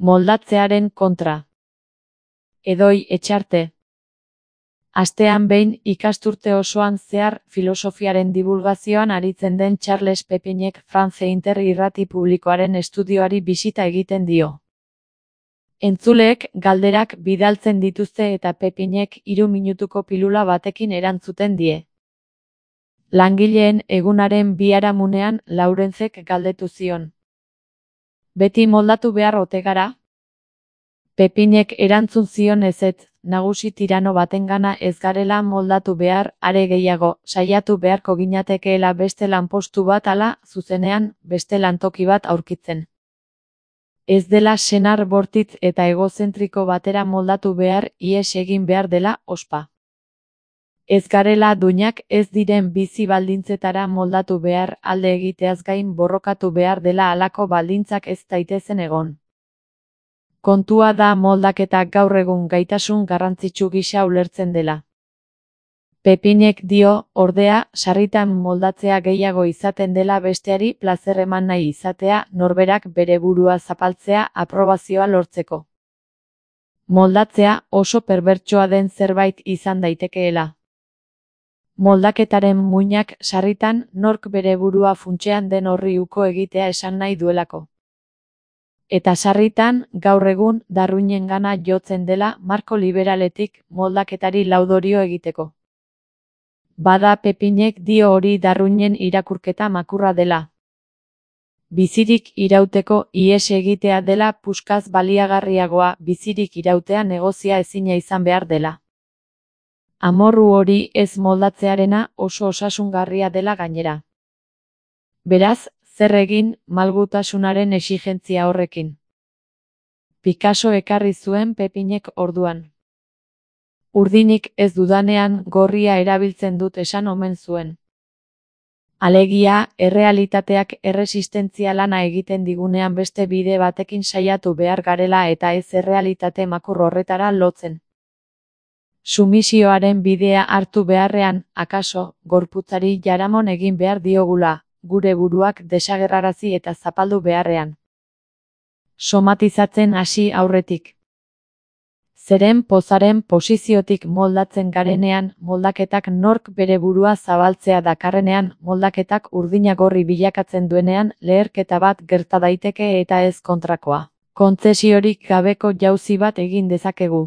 Moldatzearen kontra. Edoi Etxarte. Astean behin ikasturte osoan zehar filosofiaren divulgazioan aritzen den Charles Pepinek France Inter irrati publikoaren estudioari bisita egiten dio. Entzuleek galderak bidaltzen dituzte eta Pepinek 3 minutuko pilula batekin erantzuten die. Langileen egunaren biharamunean Laurenzek galdetu zion. Beti moldatu behar ote gara? Pepinek erantzun zion ezetz, nagusi tirano batengana ez garela moldatu behar, are gehiago, saiatu beharko ginatekeela beste lanpostu bat ala, zuzenean, beste lantoki bat aurkitzen. Ez dela senar bortitz eta egozentriko batera moldatu behar, ihes egin behar dela, ospa. Ez garela duinak ez diren bizi baldintzetara moldatu behar, alde egiteaz gain borrokatu behar dela halako baldintzak ez daitezen egon. Kontua da moldaketak gaur egun gaitasun garrantzitsu gisa ulertzen dela. Pepinek dio, ordea, sarritan moldatzea gehiago izaten dela besteari plazer eman nahi izatea, norberak bere burua zapaltzea aprobazioa lortzeko. Moldatzea oso perbertsoa den zerbait izan daitekeela. Moldaketaren muinak sarritan nork bere burua funtsean den horri uko egitea esan nahi duelako. Eta sarritan, gaur egun, Darwinengana jotzen dela marko liberaletik moldaketari laudorio egiteko. Bada Pepinek dio hori Darwinen irakurketa makurra dela. Bizirik irauteko ihes egitea dela puskaz baliagarriagoa, bizirik irautea negozia ezina izan behar dela. Amorru hori ez moldatzearena oso osasungarria dela gainera. Beraz, zer egin malgutasunaren exigentzia horrekin? Picasso ekarri zuen Pepinek orduan. Urdinik ez dudanean gorria erabiltzen dut esan omen zuen. Alegia, errealitateak erresistentzia lana egiten digunean beste bide batekin saiatu behar garela eta ez errealitate makur horretara lotzen. Sumisioaren bidea hartu beharrean, akaso, gorputzari jaramon egin behar diogula, gure buruak desagerrarazi eta zapaldu beharrean. Somatizatzen hasi aurretik. Zeren pozaren posiziotik moldatzen garenean, moldaketak nork bere burua zabaltzea dakarrenean, moldaketak urdinagorri bilakatzen duenean, leherketa bat gerta daiteke eta ez kontrakoa. Kontzesiorik gabeko jauzi bat egin dezakegu.